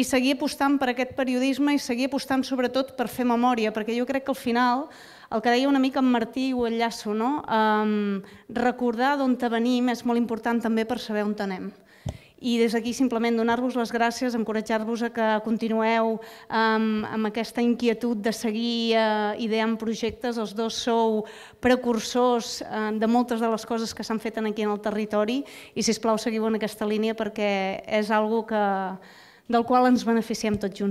i seguir apostant per aquest periodisme i seguir apostant sobretot per fer memòria, perquè jo crec que al final, el que deia una mica en Martí, ho enllaço, recordar d'on venim és molt important també per saber on anem. I des d'aquí simplement donar-vos les gràcies, encoratjar-vos a que continueu amb aquesta inquietud de seguir ideant projectes. Els dos sou precursors de moltes de les coses que s'han fet aquí en el territori i, sisplau, seguiu en aquesta línia perquè és una cosa del qual ens beneficiem tots junts.